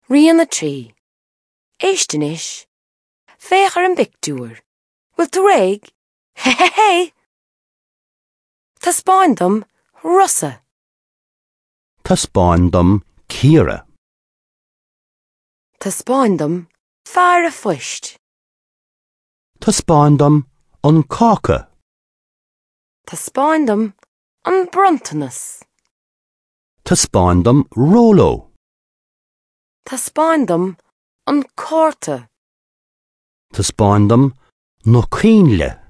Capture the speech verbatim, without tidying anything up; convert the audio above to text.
Rian a trí. Éist anois. Féach ar an bpictiúr. Bhfuil tú réidh? Hé hé hé! Taispeáin dom Rosa. Taispeáin dom Ciara. Taispeáin dom fear an phoist. Taispeáin dom an cáca. Taispeáin dom an bronntanas. Taispeáin dom Róló. Taispeáin dom an cárta. Taispeáin dom na coinnle.